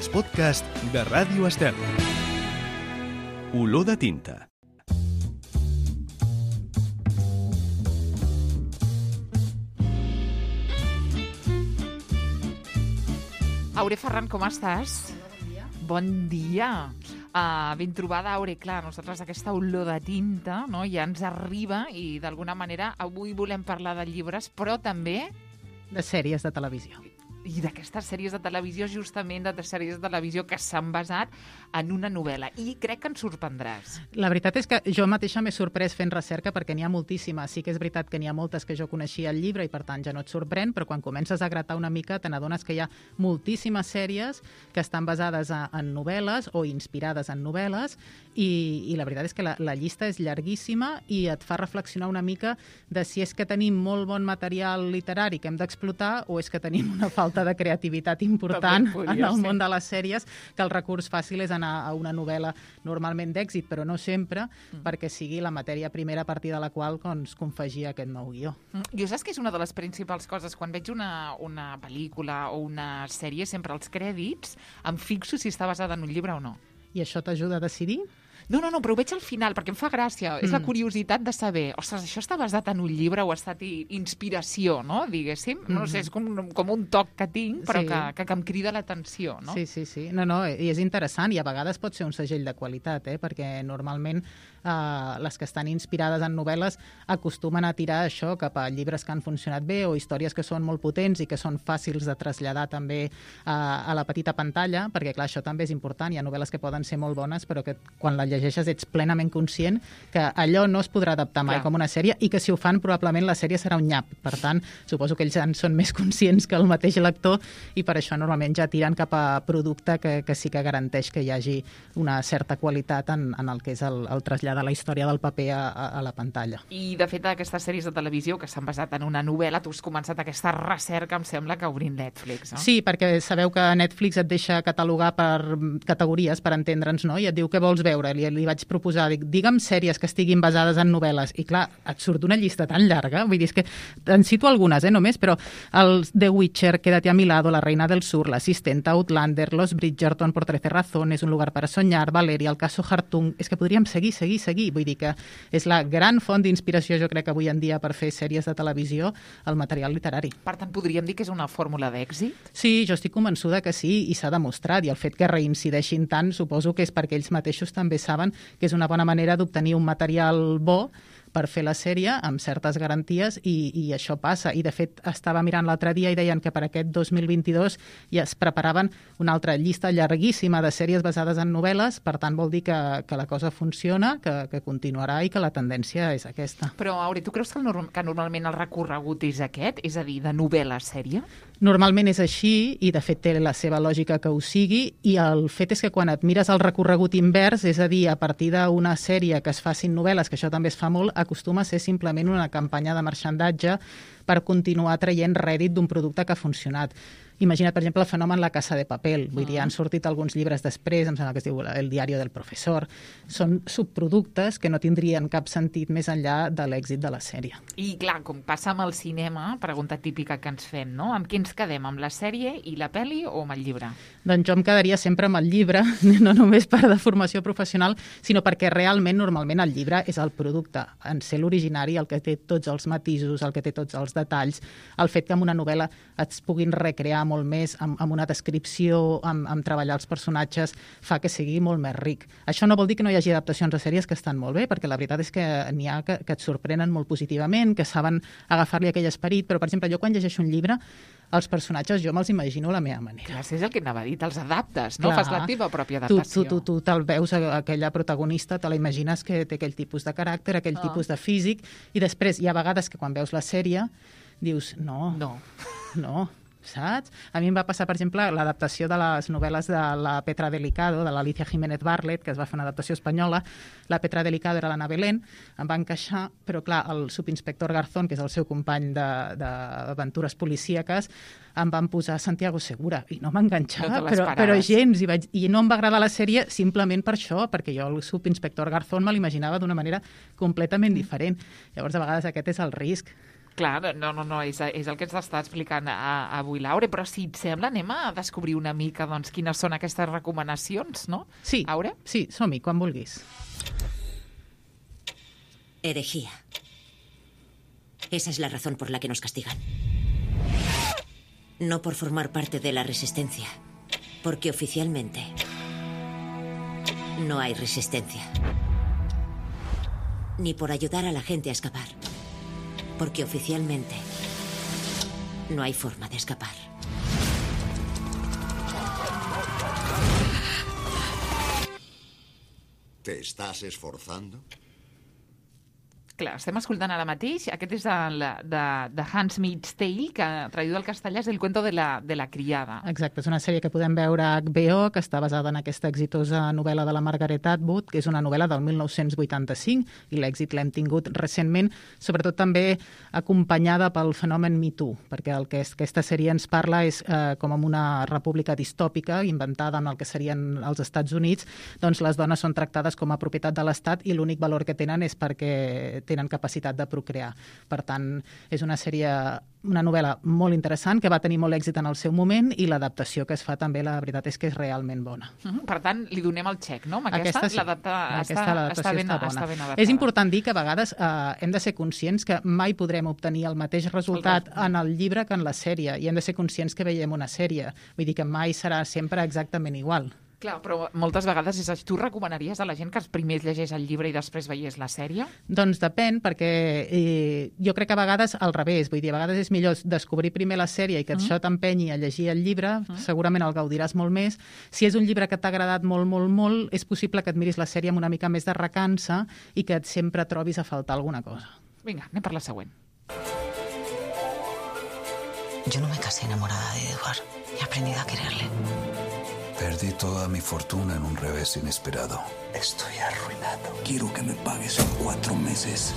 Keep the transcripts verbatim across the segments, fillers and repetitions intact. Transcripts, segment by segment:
els podcasts de Ràdio Estel. Olor de tinta. Aure Ferran, com estàs? Bon dia. Bon dia. Uh, ben trobada, Aure. Clar, nosaltres aquesta olor de tinta, no, ja ens arriba i d'alguna manera avui volem parlar de llibres, però també De sèries de televisió. i d'aquestes sèries de televisió, justament de sèries de televisió que s'han basat en una novel·la. I crec que ens sorprendràs. La veritat és que jo mateixa m'he sorprès fent recerca perquè n'hi ha moltíssimes. Sí que és veritat que n'hi ha moltes que jo coneixia al llibre i per tant ja no et sorprèn, però quan comences a gratar una mica te n'adones que hi ha moltíssimes sèries que estan basades a, en novel·les o inspirades en novel·les i, i la veritat és que la, la llista és llarguíssima i et fa reflexionar una mica de si és que tenim molt bon material literari que hem d'explotar o és que tenim una falta de creativitat important en el món de les sèries, que el recurs fàcil és anar a una novel·la normalment d'èxit, però no sempre, mm. perquè sigui la matèria primera a partir de la qual doncs, confegir aquest nou guió. Mm. Jo saps que és una de les principals coses, quan veig una, una pel·lícula o una sèrie, sempre als crèdits em fixo si està basada en un llibre o no. I això t'ajuda a decidir? No, no, no, però ho veig al final, perquè em fa gràcia. Mm. És la curiositat de saber, ostres, això està basat en un llibre o ha estat inspiració, no?, diguéssim. Mm. No sé, és com, com un toc que tinc, però sí. que, que, que em crida l'atenció, no? Sí, sí, sí. No, no, i és interessant, i a vegades pot ser un segell de qualitat, eh? Perquè normalment eh, les que estan inspirades en novel·les acostumen a tirar això cap a llibres que han funcionat bé o històries que són molt potents i que són fàcils de traslladar també a, a la petita pantalla, perquè, clar, això també és important. Hi ha novel·les que poden ser molt bones, però que quan la llegeixes ets plenament conscient que allò no es podrà adaptar mai Clar. com una sèrie i que si ho fan probablement la sèrie serà un nyap. Per tant, suposo que ells en són més conscients que el mateix lector i per això normalment ja tiren cap a producte que, que sí que garanteix que hi hagi una certa qualitat en, en el que és el, el traslladar la història del paper a, a, a la pantalla. I, de fet, aquestes sèries de televisió que s'han basat en una novel·la, tu has començat aquesta recerca, em sembla, que obrint Netflix, no? Sí, perquè sabeu que Netflix et deixa catalogar per categories, per entendre'ns, no? I et diu què vols veure. Li, li vaig proposar, dic, digue'm sèries que estiguin basades en novel·les, i clar, et surt una llista tan llarga, vull dir, és que en cito algunes, eh, només, però el The Witcher, Quédate a mi lado, La reina del sur, L'Assistenta, Outlander, Los Bridgerton, Por trece razones, Un lugar para soñar, Valeria, El caso Hartung, és que podríem seguir, seguir, seguir, vull dir que és la gran font d'inspiració, jo crec, avui en dia per fer sèries de televisió, el material literari. Per tant, podríem dir que és una fórmula d'èxit? Sí, jo estic convençuda que sí, i s'ha demostrat, i el fet que reincideixin tant suposo que és perquè ells mateixos també saben que és una bona manera d'obtenir un material bo per fer la sèrie amb certes garanties i, i això passa. I, de fet, estava mirant l'altre dia i deien que per aquest dos mil vint-i-dos ja es preparaven una altra llista llarguíssima de sèries basades en novel·les, per tant vol dir que, que la cosa funciona, que, que continuarà i que la tendència és aquesta. Però, Aure, tu creus que, el norm que normalment el recorregut és aquest? És a dir, de novel·la a sèrie? Normalment és així i, de fet, té la seva lògica que ho sigui i el fet és que quan et mires el recorregut invers, és a dir, a partir d'una sèrie que es facin novel·les, que això també es fa molt, acostuma a ser simplement una campanya de marxandatge per continuar traient rèdit d'un producte que ha funcionat. Imagina't, per exemple, el fenomen La Casa de Papel. Vull dir, han sortit alguns llibres després, em sembla que es diu El diario del professor. Són subproductes que no tindrien cap sentit més enllà de l'èxit de la sèrie. I, clar, com passa amb el cinema, pregunta típica que ens fem, no? Amb què ens quedem? Amb la sèrie i la pel·li o amb el llibre? Doncs jo em quedaria sempre amb el llibre, no només per de formació professional, sinó perquè realment, normalment, el llibre és el producte. En ser l'originari, el que té tots els matisos, el que té tots els detalls, el fet que en una novel·la es puguin recrear molt més amb, amb una descripció, amb, amb treballar els personatges, fa que sigui molt més ric. Això no vol dir que no hi hagi adaptacions a sèries que estan molt bé, perquè la veritat és que n'hi ha que, que et sorprenen molt positivament, que saben agafar-li aquell esperit, però, per exemple, jo quan llegeixo un llibre, els personatges jo me'ls imagino a la meva manera. Clar, és el que anava a dir, els adaptes, no? Clar, fas la teva pròpia adaptació. Tu, tu, tu, tu te'l veus, aquella protagonista, te la imagines que té aquell tipus de caràcter, aquell oh. tipus de físic, i després hi ha vegades que quan veus la sèrie dius, no, no, no, saps? A mi em va passar, per exemple, l'adaptació de les novel·les de la Petra Delicado, de l'Alicia Jiménez Barlet, que es va fer una adaptació espanyola. La Petra Delicado era l'Anna Belén, em va encaixar, però clar, el subinspector Garzón, que és el seu company d'aventures policíaques, em van posar Santiago Segura, i no m'enganxava, no però, però gens, i, vaig, i no em va agradar la sèrie simplement per això, perquè jo el subinspector Garzón me l'imaginava d'una manera completament diferent. Llavors, a vegades aquest és el risc. Clar, no, no, no, és, és el que ens està explicant a, avui Laure, però si et sembla anem a descobrir una mica doncs, quines són aquestes recomanacions, no? Sí, Aure? sí, som-hi, quan vulguis. Herejía. Esa es la razón por la que nos castigan. No por formar parte de la resistencia, porque oficialmente no hay resistencia. Ni por ayudar a la gente a escapar, porque oficialmente no hay forma de escapar. ¿Te estás esforzando? Clar, estem escoltant ara mateix, aquest és el, de, de Hans Meets Tale, que traduït al castellà és El cuento de la, de la criada. Exacte, és una sèrie que podem veure a H B O, que està basada en aquesta exitosa novel·la de la Margaret Atwood, que és una novel·la del mil nou-cents vuitanta-cinc, i l'èxit l'hem tingut recentment, sobretot també acompanyada pel fenomen Me Too, perquè el que és, aquesta sèrie ens parla és eh, com en una república distòpica, inventada en el que serien els Estats Units, doncs les dones són tractades com a propietat de l'Estat i l'únic valor que tenen és perquè tenen capacitat de procrear. Per tant, és una sèrie, una novel·la molt interessant, que va tenir molt èxit en el seu moment, i l'adaptació que es fa també, la veritat és que és realment bona. Uh-huh. Per tant, li donem el xec, no? Amb aquesta, aquesta sí. l'adapta, aquesta està, l'adaptació està, ben, està bona. està ben adaptada. És important dir que a vegades eh, hem de ser conscients que mai podrem obtenir el mateix resultat el en el llibre que en la sèrie, i hem de ser conscients que veiem una sèrie. Vull dir que mai serà sempre exactament igual. Clar, però moltes vegades és això. Tu recomanaries a la gent que primer llegeix el llibre i després veiés la sèrie? Doncs depèn, perquè eh, jo crec que a vegades al revés, vull dir, a vegades és millor descobrir primer la sèrie i que mm. això t'empenyi a llegir el llibre, mm. segurament el gaudiràs molt més. Si és un llibre que t'ha agradat molt, molt, molt, és possible que et miris la sèrie amb una mica més de recança i que et sempre trobis a faltar alguna cosa. Vinga, anem per la següent. Yo no me casé enamorada de Edward. He aprendido a quererle. Perdí toda mi fortuna en un revés inesperado. Estoy arruinado. Quiero que me pagues en cuatro meses.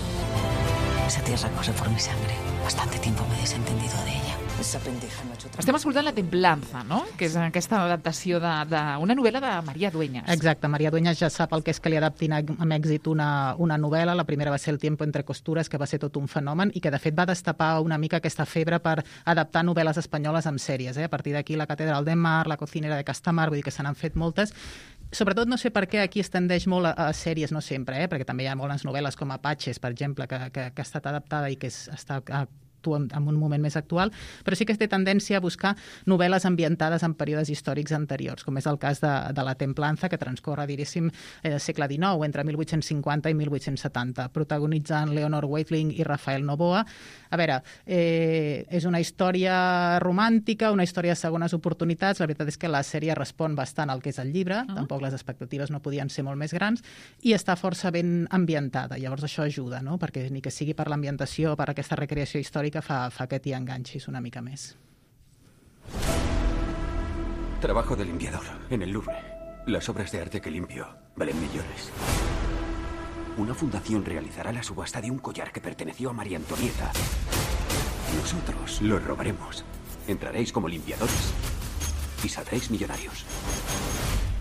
Esa tierra corre por mi sangre. Bastante tiempo me he desentendido de ella. Esa pendeja me ha hecho... Estem escoltant La Templanza, no? Que és aquesta adaptació d'una novel·la de Maria Dueñas. Exacte, Maria Dueñas ja sap el que és que li adaptin amb èxit una, una novel·la. La primera va ser El tiempo entre costures, que va ser tot un fenomen i que, de fet, va destapar una mica aquesta febre per adaptar novel·les espanyoles amb sèries. Eh? A partir d'aquí, La catedral de Mar, La cocinera de Castamar, vull dir que se n'han fet moltes. Sobretot no sé per què aquí es tendeix molt a, a sèries, no sempre, eh? Perquè també hi ha moltes novel·les com Apaches, per exemple, que, que, que ha estat adaptada i que és, està a, en, en un moment més actual, però sí que es té tendència a buscar novel·les ambientades en períodes històrics anteriors, com és el cas de, de La Templanza, que transcorre, diríssim, eh, segle dinou, entre mil vuit-cents cinquanta i mil vuit-cents setanta, protagonitzant Leonor Weitling i Rafael Novoa. A veure, eh, és una història romàntica, una història de segones oportunitats. La veritat és que la sèrie respon bastant al que és el llibre, uh-huh. Tampoc les expectatives no podien ser molt més grans, i està força ben ambientada. Llavors això ajuda, no? Perquè ni que sigui per l'ambientació, per aquesta recreació històrica, Fa, fa que t'hi enganxis una mica més. Trabajo de limpiador en el Louvre. Las obras de arte que limpio valen millones. Una fundación realizará la subasta de un collar que perteneció a María Antonieta. Nosotros lo robaremos. Entraréis como limpiadores y saldréis millonarios.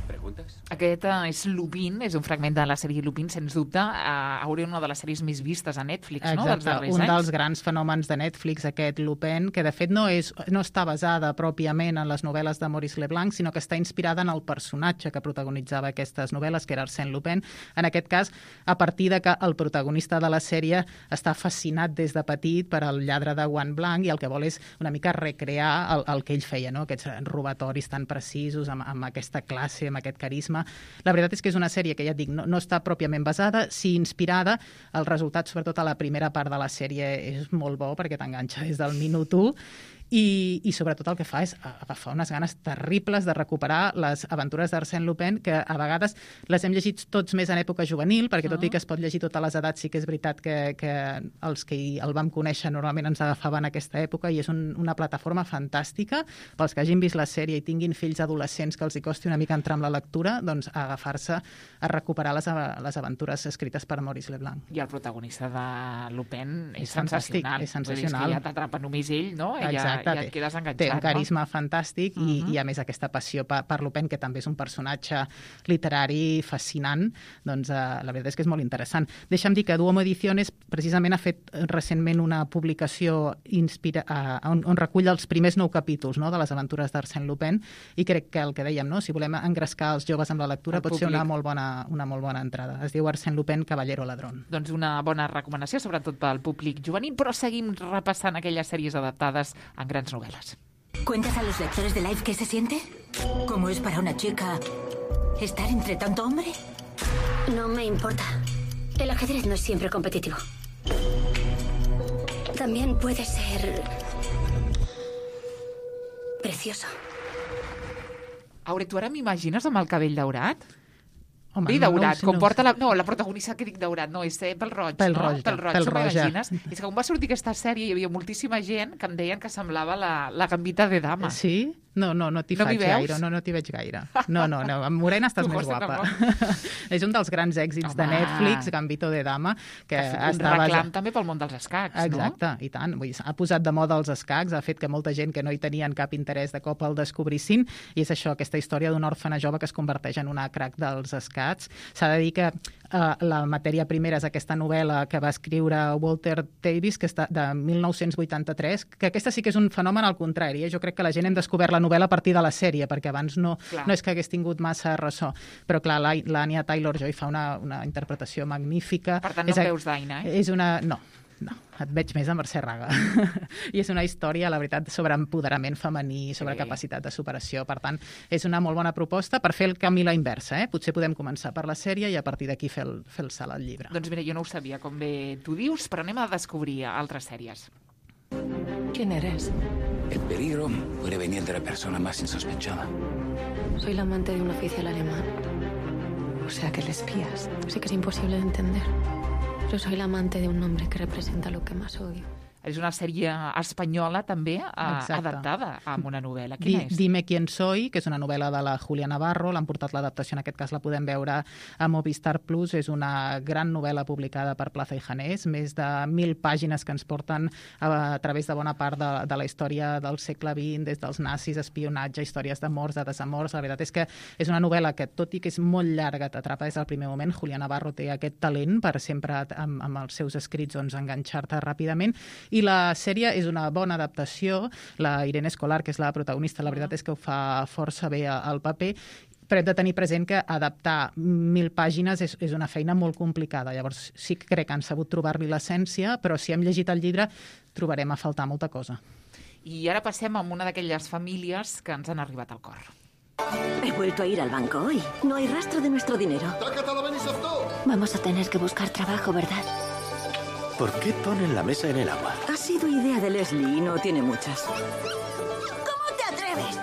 Preguntes? Aquest és Lupin, és un fragment de la sèrie Lupin, sens dubte, uh, hauria una de les sèries més vistes a Netflix, Exacte, no?, dels darrers un anys. dels grans fenòmens de Netflix, aquest Lupin, que de fet no, és, no està basada pròpiament en les novel·les de Maurice Leblanc, sinó que està inspirada en el personatge que protagonitzava aquestes novel·les, que era Arsène Lupin. En aquest cas, a partir de que el protagonista de la sèrie està fascinat des de petit per al lladre de guant blanc i el que vol és una mica recrear el, el que ell feia, no?, aquests robatoris tan precisos, amb, amb aquesta classe, amb aquest carisma. La veritat és que és una sèrie que, ja et dic, no, no està pròpiament basada, sí inspirada. El resultat, sobretot a la primera part de la sèrie, és molt bo perquè t'enganxa des del minut u. I, i sobretot el que fa és agafar unes ganes terribles de recuperar les aventures d'Arsène Lupin, que a vegades les hem llegit tots més en època juvenil, perquè tot i que es pot llegir totes les edats, sí que és veritat que, que els que el vam conèixer normalment ens agafaven aquesta època, i és un, una plataforma fantàstica pels que hagin vist la sèrie i tinguin fills adolescents que els hi costi una mica entrar amb la lectura, doncs a agafar-se a recuperar les, les aventures escrites per Maurice Leblanc. I el protagonista de Lupin és, és fantàstic, sensacional. és sensacional. És que ja t'atrapa només ell, no? Exacte. exacte, ja et quedes enganxat. Té un carisma no? fantàstic i, uh-huh. i, a més, aquesta passió per, per Lupin, que també és un personatge literari fascinant, doncs eh, la veritat és que és molt interessant. Deixa'm dir que Duomo Ediciones precisament ha fet recentment una publicació inspira, eh, on, on recull els primers nou capítols, no?, de les aventures d'Arsène Lupin, i crec que el que dèiem, no?, si volem engrescar els joves amb la lectura, el pot públic. ser una molt, bona, una molt bona entrada. Es diu Arsène Lupin, Caballero Ladrón. Doncs una bona recomanació, sobretot pel públic juvenil, però seguim repassant aquelles sèries adaptades en grans novel·les. ¿Cuentas a los lectores de Life qué se siente? ¿Cómo es para una chica estar entre tanto hombre? No me importa. El ajedrez no es siempre competitivo. También puede ser precioso. Aure, tu ara m'imagines amb el cabell daurat? Home, Bé, no, daurat, no, com no, porta la... No, la protagonista que dic daurat, no, és eh, pel roig, pel no? Roig, pel roig, pel roig, m'imagines? És que quan va sortir aquesta sèrie hi havia moltíssima gent que em deien que semblava la, la Gambita de Dama. Sí? No, no, no t'hi no faig gaire, no, no t'hi veig gaire. No, no, no, amb morena estàs més guapa. És un dels grans èxits Home. de Netflix, Gambito de Dama, que un estava... reclam també pel món dels escacs, Exacte, no? Exacte, i tant. Vull dir, ha posat de moda els escacs, ha fet que molta gent que no hi tenien cap interès de cop el descobrissin, i és això, aquesta història d'un òrfena jove que es converteix en una crac dels escacs. S'ha de dir que uh, la matèria primera és aquesta novel·la que va escriure Walter Davis, que està de mil nou-cents vuitanta-tres, que aquesta sí que és un fenomen al contrari. Eh? Jo crec que la gent hem descobert la novel·la a partir de la sèrie, perquè abans no, no és que hagués tingut massa ressò. Però clar, l'Anya Taylor-Joy fa una, una interpretació magnífica. Per tant, no és, em veus d'Aina, eh? És una... No, no, et veig més a Mercè Raga. I és una història, la veritat, sobre empoderament femení, sobre sí. capacitat de superació. Per tant, és una molt bona proposta per fer el camí a la inversa. Eh? Potser podem començar per la sèrie i a partir d'aquí fer, el, fer el salt al llibre. Doncs mira, jo no ho sabia, com bé tu dius, però anem a descobrir altres sèries. ¿Quién eres? El peligro puede venir de la persona más insospechada. Soy la amante de un oficial alemán. O sea que le espías. Sí que es imposible de entender. Yo soy la amante de un hombre que representa lo que más odio. És una sèrie espanyola, també, Exacte. adaptada a una novel·la. Quina Di, és? Dime quién soy, que és una novel·la de la Julia Navarro. L'han portat l'adaptació, en aquest cas la podem veure a Movistar Plus. És una gran novel·la publicada per Plaza i Janés, més de mil pàgines que ens porten a, a través de bona part de, de la història del segle vint, des dels nazis, espionatge, històries d'amors, de desamors. La veritat és que és una novel·la que, tot i que és molt llarga, t'atrapa des del primer moment. Julia Navarro té aquest talent per sempre, amb, amb els seus escrits, doncs, enganxar-te ràpidament. I la sèrie és una bona adaptació. La Irene Escolar, que és la protagonista, la veritat és que ho fa força bé al paper, però hem de tenir present que adaptar mil pàgines és, és una feina molt complicada. Llavors sí que crec que han sabut trobar-li l'essència, però si hem llegit el llibre trobarem a faltar molta cosa. I ara passem a una d'aquelles famílies que ens han arribat al cor. He vuelto a ir al banco hoy. No hay rastro de nuestro dinero. Vamos a tener que buscar trabajo, ¿verdad? ¿Por qué ponen la mesa en el agua? Ha sido idea de Leslie y no tiene muchas. ¿Cómo te atreves?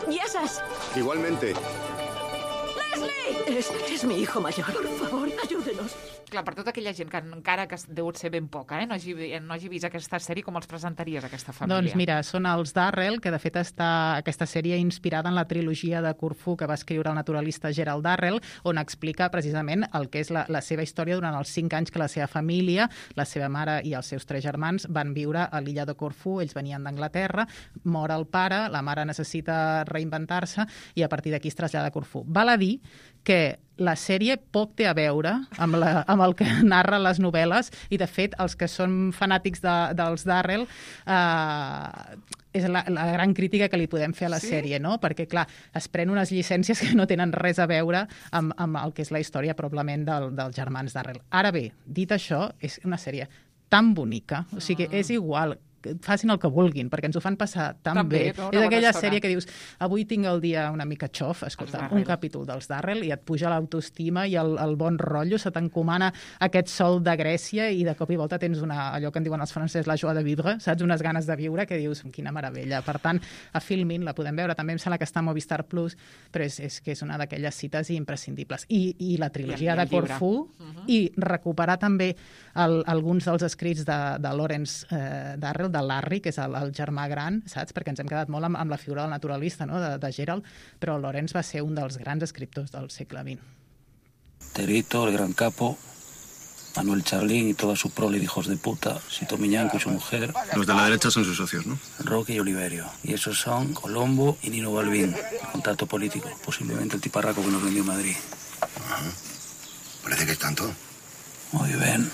¡Yesas! Igualmente. ¡Leslie! Es, es mi hijo mayor. Por favor, ayúdenos. Clar, per tota aquella gent que encara que deu ser ben poca, eh, no, hagi, no hagi vist aquesta sèrie, com els presentaries, aquesta família? Doncs mira, són els Darrell, que de fet està aquesta sèrie inspirada en la trilogia de Corfú que va escriure el naturalista Gerald Darrell, on explica precisament el que és la, la seva història durant els cinc anys que la seva família, la seva mare i els seus tres germans van viure a l'illa de Corfú. Ells venien d'Anglaterra, mor el pare, la mare necessita reinventar-se i a partir d'aquí es trasllada a Corfú. Val a dir que la sèrie poc té a veure amb, la, amb el que narren les novel·les i, de fet, els que són fanàtics de, dels Darrell eh, és la, la gran crítica que li podem fer a la sí? sèrie, no? Perquè, clar, es pren unes llicències que no tenen res a veure amb, amb el que és la història, probablement, del, dels germans Darrell. Ara bé, dit això, és una sèrie tan bonica, o sigui, és igual, facin el que vulguin, perquè ens ho fan passar tan També, bé. no? És aquella sèrie que dius, avui tinc el dia una mica xof, escolta, un capítol dels Darrell i et puja l'autoestima i el, el bon rotllo, se t'encomana aquest sol de Grècia i de cop i volta tens una, allò que en diuen els francesos, la joie de vivre, saps? Unes ganes de viure que dius, quina meravella. Per tant, a Filmin la podem veure, també em sembla que està a Movistar Plus, però és, és que és una d'aquelles cites imprescindibles. I, i la trilogia I, de Corfú, uh-huh. i recuperar també el, alguns dels escrits de, de Lawrence eh, Darrell, de Larry, que és el, el germà gran, saps? Perquè ens hem quedat molt amb, amb la figura del naturalista, no? de, de Gerald, però Lawrence va ser un dels grans escriptors del segle vint. Terito, el gran capo, Manuel Charlín y toda su prole de hijos de puta, Sito Miñanco y su mujer. Los de la derecha son sus socios, ¿no? Roque y Oliverio. Y esos son Colombo y Nino Balbín, el contacto político. Posiblemente el tiparraco que nos vendió Madrid. Ajá. Parece que es tanto. Muy bien.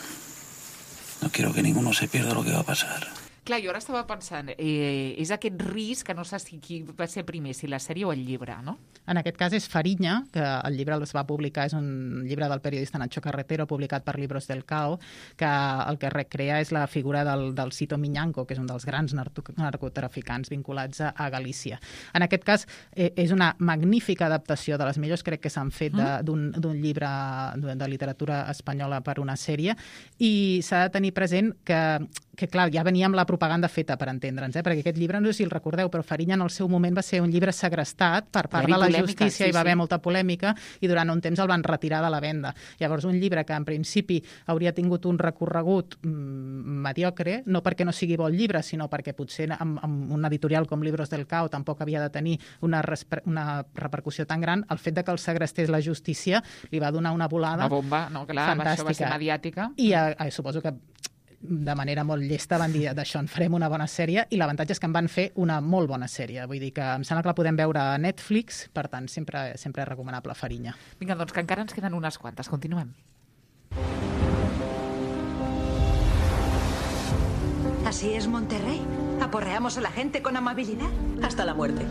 No quiero que ninguno se pierda lo que va a pasar. Clar, jo ara estava pensant, eh, és aquest risc que no sé si qui va ser primer, si la sèrie o el llibre, no? En aquest cas és Fariña, que el llibre es va publicar, és un llibre del periodista Nacho Carretero, publicat per Libros del Cao, que el que recrea és la figura del, del Sito Miñanco, que és un dels grans narcotraficants vinculats a, a Galícia. En aquest cas eh, és una magnífica adaptació, de les millors crec que s'han fet d'un llibre de, de literatura espanyola per una sèrie, i s'ha de tenir present que que clar, ja venia amb la propaganda feta, per entendre'ns, eh? Perquè aquest llibre, no sé si el recordeu, però Fariña en el seu moment va ser un llibre segrestat per part de la justícia, sí, i va haver sí. molta polèmica, i durant un temps el van retirar de la venda. Llavors, un llibre que en principi hauria tingut un recorregut mmm, mediocre, no perquè no sigui bon llibre, sinó perquè potser amb, amb un editorial com Libros del Cao tampoc havia de tenir una, una repercussió tan gran, el fet de que el segrestés la justícia li va donar una volada una bomba, no, clar, fantàstica. Això va ser mediàtica. I eh, eh, suposo que de manera molt llesta van dir d'això en farem una bona sèrie, i l'avantatge és que en van fer una molt bona sèrie. Vull dir que em sembla que la podem veure a Netflix, per tant, sempre, sempre és recomanable Fariña. Vinga, doncs que encara ens queden unes quantes. Continuem. ¿Así es Monterrey? ¿Aporreamos a la gente con amabilidad? Hasta la muerte.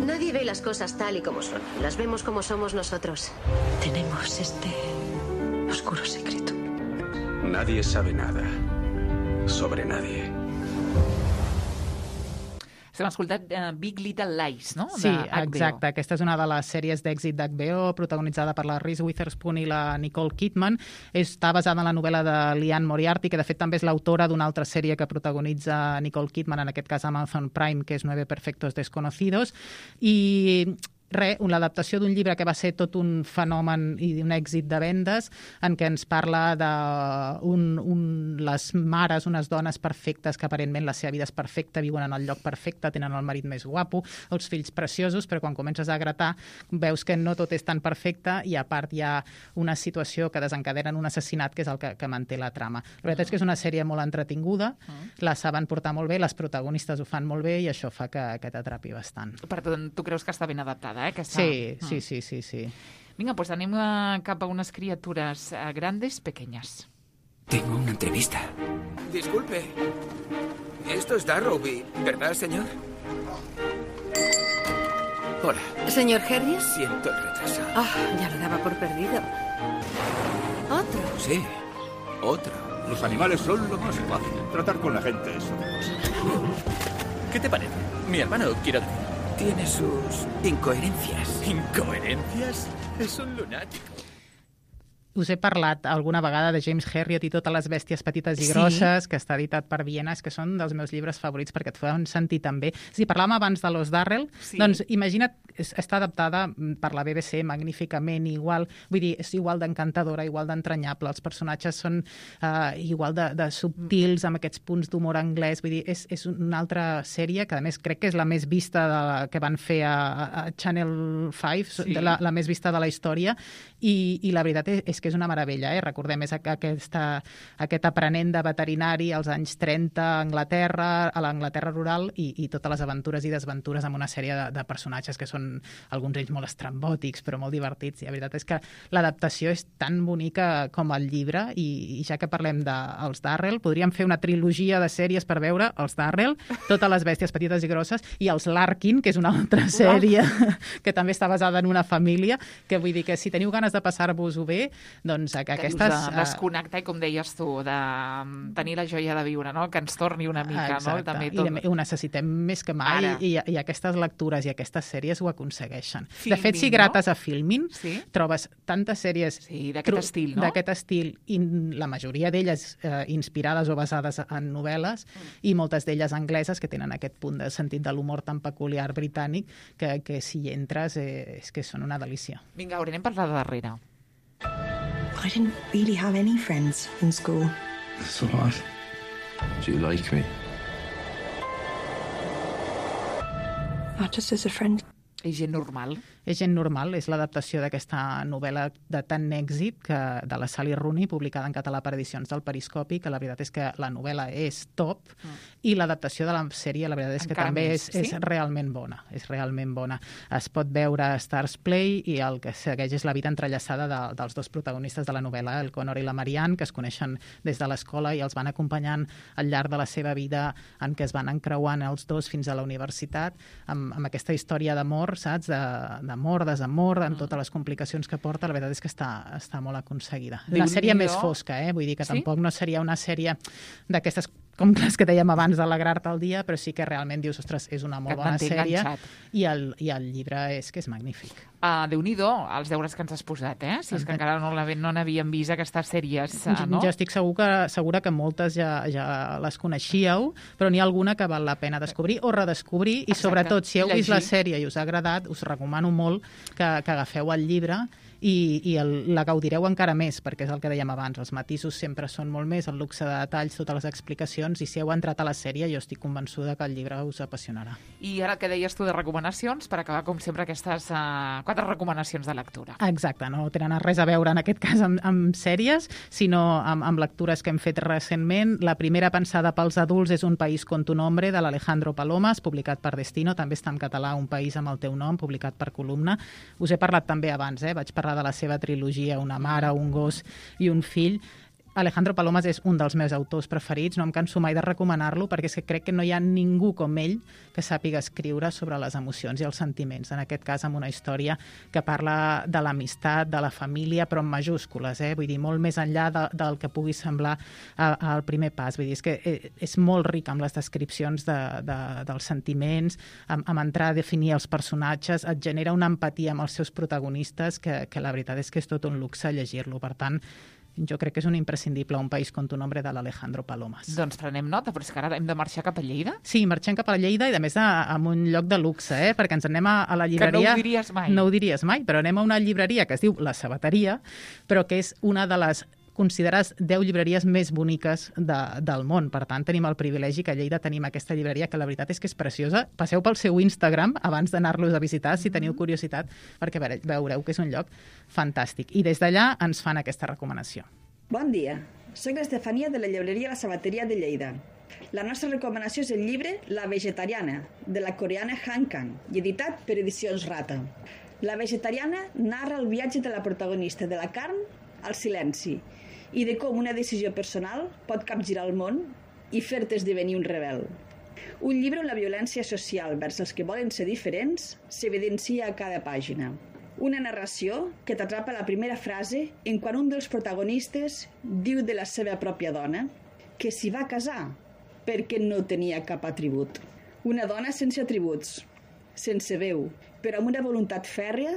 Nadie ve las cosas tal y como son. Las vemos como somos nosotros. Tenemos este oscuro secreto. Nadie sabe nada sobre nadie. Estem escoltant uh, Big Little Lies, no? Sí, exacte. Aquesta és una de les sèries d'èxit d'H B O, protagonitzada per la Reese Witherspoon i la Nicole Kidman. Està basada en la novel·la de Liane Moriarty, que de fet també és l'autora d'una altra sèrie que protagonitza Nicole Kidman, en aquest cas Amazon Prime, que és Nueve Perfectos Desconocidos. I res, l'adaptació d'un llibre que va ser tot un fenomen i un èxit de vendes, en què ens parla de un, un, les mares, unes dones perfectes que aparentment la seva vida és perfecta, viuen en el lloc perfecte, tenen el marit més guapo, els fills preciosos, però quan comences a gratar veus que no tot és tan perfecte, i a part hi ha una situació que desencadena un assassinat, que és el que, que manté la trama. La veritat és que és una sèrie molt entretinguda, la saben portar molt bé, les protagonistes ho fan molt bé, i això fa que, que t'atrapi bastant. Per tant, tu creus que està ben adaptada? Eh, que està... Sí, sí, sí, sí, sí. Vinga, pues anem a, cap a unes criatures uh, grandes, pequeñas. Tengo una entrevista. Disculpe. Esto es Darrowby, ¿verdad, señor? Hola. ¿Señor Harris? Siento el retraso. Ah, ya lo daba por perdido. ¿Otro? Sí, otro. Los animales son lo más fácil. Tratar con la gente es otra cosa. ¿Qué te parece? Mi hermano, quiero decir, tiene sus incoherencias. ¿Incoherencias? Es un lunático. Us he parlat alguna vegada de James Herriot i totes les bèsties petites i grosses, sí, que està editat per Viena, és que són dels meus llibres favorits perquè et fan sentir també. Si parlàvem abans de Los Darrell, sí, doncs imagina't, està adaptada per la B B C magníficament, igual, vull dir, és igual d'encantadora, igual d'entranyable, els personatges són uh, igual de, de subtils, amb aquests punts d'humor anglès, vull dir, és, és una altra sèrie que a més crec que és la més vista de la, que van fer a, a Channel cinc, sí, la, la més vista de la història, i, i la veritat és, és que és una meravella, eh? Recordem, és aquesta, aquest aprenent de veterinari als anys trenta a Anglaterra, a l'Anglaterra rural, i, i totes les aventures i desventures amb una sèrie de, de personatges que són alguns d'ells molt estrambòtics, però molt divertits. I la veritat és que l'adaptació és tan bonica com el llibre, i, i ja que parlem dels de, Darrell, podríem fer una trilogia de sèries per veure els Darrell, totes les bèsties petites i grosses, i els Larkin, que és una altra sèrie que també està basada en una família, que vull dir que si teniu ganes de passar-vos-ho bé, doncs que aquestes... De desconnectar, i com deies tu, de tenir la joia de viure, no? Que ens torni una mica. Exacte. No? També tot... I ho necessitem més que mai, i, i aquestes lectures i aquestes sèries ho aconsegueixen. Filmin, de fet, si grates no? a Filmin, sí? trobes tantes sèries sí, d'aquest estil, no? d'aquest estil, i la majoria d'elles eh, inspirades o basades en novel·les, mm. i moltes d'elles angleses, que tenen aquest punt de sentit de l'humor tan peculiar britànic, que, que si hi entres eh, és que són una delícia. Vinga, haurem parlat de darrere. I didn't really have any friends in school. So what? Do you like me? Not just as a friend. És gent normal. És gent normal, és l'adaptació d'aquesta novel·la de tant èxit que, de la Sally Rooney, publicada en català per edicions del Periscopi, que la veritat és que la novel·la és top, mm. i l'adaptació de la sèrie, la veritat és que Encara també més, és, sí? és realment bona. És realment bona. Es pot veure a Stars Play i el que segueix és la vida entrellaçada de, dels dos protagonistes de la novel·la, el Connor i la Marianne, que es coneixen des de l'escola i els van acompanyant al llarg de la seva vida en què es van encreuant els dos fins a la universitat, amb, amb aquesta història d'amor, saps? D'amor, desamor, amb totes les complicacions que porta, la veritat és que està, està molt aconseguida. Una sèrie més fosca, eh? Vull dir que sí? tampoc no seria una sèrie d'aquestes com les que dèiem abans d'alegrar-te el dia, però sí que realment dius, ostres, és una molt bona sèrie i el, i el llibre és que és magnífic. Uh, Déu-n'hi-do, els deures que ens has posat, eh? Si és que encara no, no n'havíem vist aquestes sèries, uh, no? Jo estic segur que, segura que moltes ja, ja les coneixíeu, però n'hi ha alguna que val la pena descobrir o redescobrir, i Exacte. Sobretot, si heu Llegir. vist la sèrie i us ha agradat, us recomano molt que, que agafeu el llibre i, i el, la gaudireu encara més, perquè és el que dèiem abans, els matisos sempre són molt més, el luxe de detalls, totes les explicacions, i si heu entrat a la sèrie jo estic convençuda que el llibre us apassionarà. I ara que deies tu de recomanacions, per acabar com sempre aquestes uh, quatre recomanacions de lectura. Exacte, no tenen res a veure en aquest cas amb, amb sèries, sinó amb, amb lectures que hem fet recentment. La primera, pensada pels adults, és Un país con tu nombre, de l'Alejandro Palomas, publicat per Destino, també està en català, Un país amb el teu nom, publicat per Columna. Us he parlat també abans, eh? Vaig parlar de la seva trilogia, Una mare, un gos i un fill. Alejandro Palomas és un dels meus autors preferits, no em canso mai de recomanar-lo, perquè és que crec que no hi ha ningú com ell que sàpiga escriure sobre les emocions i els sentiments, en aquest cas amb una història que parla de l'amistat, de la família, però en majúscules, eh? Vull dir, molt més enllà de, del que pugui semblar al primer pas. Vull dir, és que és molt ric amb les descripcions de, de, dels sentiments, amb, amb entrar a definir els personatges, et genera una empatia amb els seus protagonistes que, que la veritat és que és tot un luxe llegir-lo. Per tant, jo crec que és un imprescindible, Un país con tu nombre, de l'Alejandro Palomas. Doncs prenem nota, però és que ara hem de marxar cap a Lleida? Sí, marxem cap a Lleida i, a més, a, a un lloc de luxe, eh? Perquè ens anem a, a la llibreria... Que no ho diries mai. No ho diries mai, però anem a una llibreria que es diu La Sabateria, però que és una de les considerades deu llibreries més boniques de, del món. Per tant, tenim el privilegi que a Lleida tenim aquesta llibreria, que la veritat és que és preciosa. Passeu pel seu Instagram abans d'anar-los a visitar, si teniu curiositat, perquè veureu que és un lloc fantàstic. I des d'allà ens fan aquesta recomanació. Bon dia, soc l'Estefania de la llibreria La Sabateria de Lleida. La nostra recomanació és el llibre La vegetariana, de la coreana Han Kang, i editat per Edicions Rata. La vegetariana narra el viatge de la protagonista de la carn al silenci, i de com una decisió personal pot capgirar el món i fer-te esdevenir un rebel. Un llibre on la violència social vers els que volen ser diferents s'evidencia a cada pàgina. Una narració que t'atrapa la primera frase en quan un dels protagonistes diu de la seva pròpia dona que s'hi va casar perquè no tenia cap atribut. Una dona sense atributs, sense veu, però amb una voluntat fèrrea,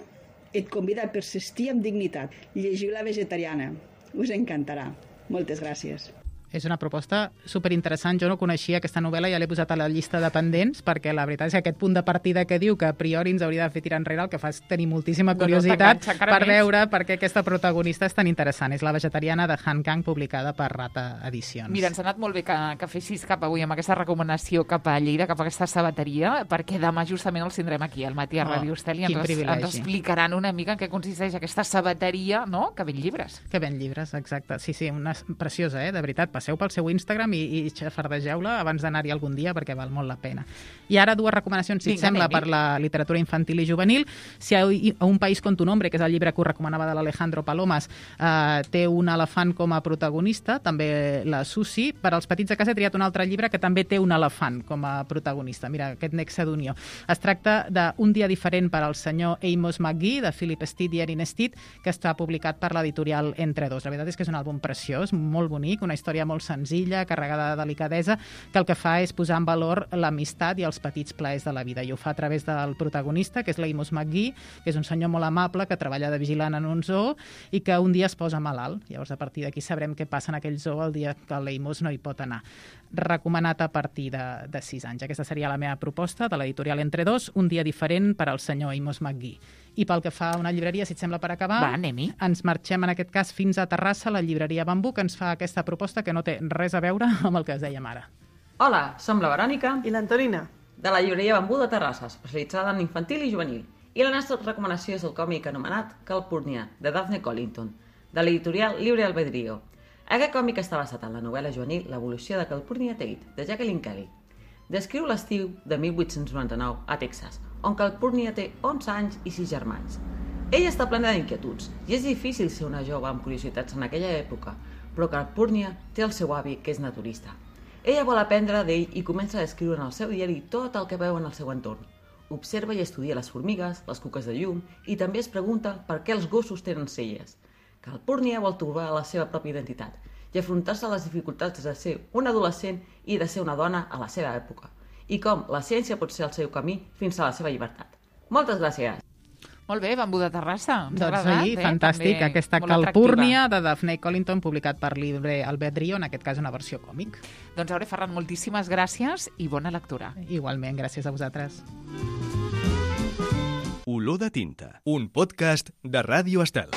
et convida a persistir amb dignitat. Llegiu La vegetariana. Us encantarà. Moltes gràcies. És una proposta superinteressant. Jo no coneixia aquesta novel·la, ja l'he posat a la llista de pendents, perquè la veritat és que aquest punt de partida que diu que a priori ens hauria de fer tirar enrere, el que fa és tenir moltíssima curiositat no, no, per veure per què aquesta protagonista és tan interessant. És La vegetariana, de Han Kang, publicada per Rata Edicions. Mira, ens ha anat molt bé que, que fessis cap avui amb aquesta recomanació cap a Lleida, cap a aquesta sabateria, perquè demà justament els tindrem aquí, al matí a oh, Ràdio Estel, i ens, ens explicaran una mica en què consisteix aquesta sabateria, no?, que ven llibres. Que ven llibres, exacte. Sí, sí, una preciosa, eh? De veritat. Passeu pel seu Instagram i, i xafardegeu-la abans d'anar-hi algun dia, perquè val molt la pena. I ara dues recomanacions, si et sembla, per la literatura infantil i juvenil. Si a Un país con tu nombre, que és el llibre que us recomanava de l'Alejandro Palomas, eh, té un elefant com a protagonista, també la Susi. Per als petits de casa he triat un altre llibre que també té un elefant com a protagonista. Mira, aquest nexe d'unió. Es tracta d'Un dia diferent per al senyor Amos McGee, de Philip Steed i Erin Steed, que està publicat per l'editorial Entre dos. La veritat és que és un àlbum preciós, molt bonic, una història molt senzilla, carregada de delicadesa, que el que fa és posar en valor l'amistat i els petits plaers de la vida. I ho fa a través del protagonista, que és l'Amos McGee, que és un senyor molt amable, que treballa de vigilant en un zoo i que un dia es posa malalt. Llavors, a partir d'aquí sabrem què passa en aquell zoo el dia que l'Amos no hi pot anar. Recomanat a partir de, de sis anys. Aquesta seria la meva proposta de l'editorial Entre dos, Un dia diferent per al senyor Amos McGee. I pel que fa a una llibreria, si et sembla per acabar, Va, anem-hi. Ens marxem en aquest cas fins a Terrassa, la llibreria Bambú, que ens fa aquesta proposta que no té res a veure amb el que es dèiem ara. Hola, som la Verònica i l'Antonina de la llibreria Bambú de Terrassa, especialitzada en infantil i juvenil. I la nostra recomanació és el còmic anomenat Calpurnia, de Daphne Collington, de l'editorial Libre Albedrío. Aquest còmic està basat en la novel·la juvenil L'evolució de Calpurnia Tate, de Jacqueline Kelly. Descriu l'estiu de mil vuit-cents noranta-nou a Texas, on Calpurnia té onze anys i sis germans. Ella està plena d'inquietuds, i és difícil ser una jove amb curiositats en aquella època, però Calpurnia té el seu avi, que és naturista. Ella vol aprendre d'ell i comença a descriure en el seu diari tot el que veu en el seu entorn. Observa i estudia les formigues, les cuques de llum, i també es pregunta per què els gossos tenen celles. Calpurnia vol trobar la seva pròpia identitat i afrontar-se a les dificultats de ser un adolescent i de ser una dona a la seva època, i com la ciència pot ser el seu camí fins a la seva llibertat. Moltes gràcies! Molt bé, Bambú de Terrassa. Ens ha Doncs agradat, sí, eh? fantàstic. També Aquesta molt Calpurnia atractiva. de Daphne Collington, publicat per Libre Albedrío, en aquest cas una versió còmic. Doncs, Aure Ferran, moltíssimes gràcies i bona lectura. Igualment, gràcies a vosaltres. Olor de tinta, un podcast de Ràdio Estel.